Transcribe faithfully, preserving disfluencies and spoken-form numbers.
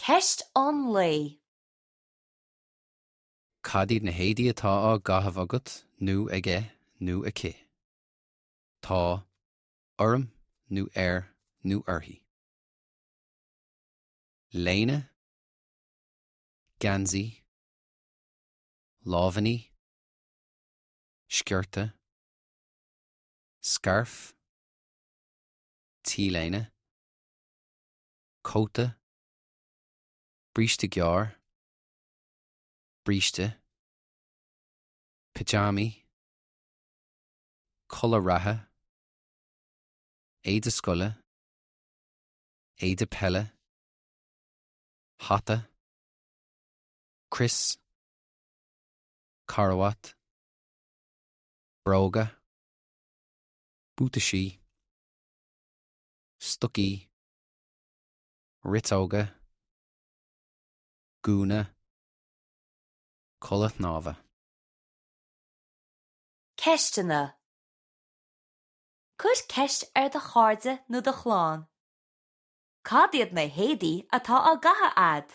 Ceist an lae. Cad iad na héadaí atá á gcaitheamh agat nó aige nó aici. Tá orm nó air nó uirthi. Léine, geansaí, lámhainní, sciorta, scairf, T-léine, cóta, bríste gearr, bríste, pyjamáí, culaith reatha, éide scoile, éide peile, hata, crios, carbhat, bróga, buataisí, stocaí, riteoga, gúna, culaith shnámha. Ceisteanna. Cuir ceist ar do chairde nó do chlann. Cad iad na héadaí atá á gcaitheamh agat?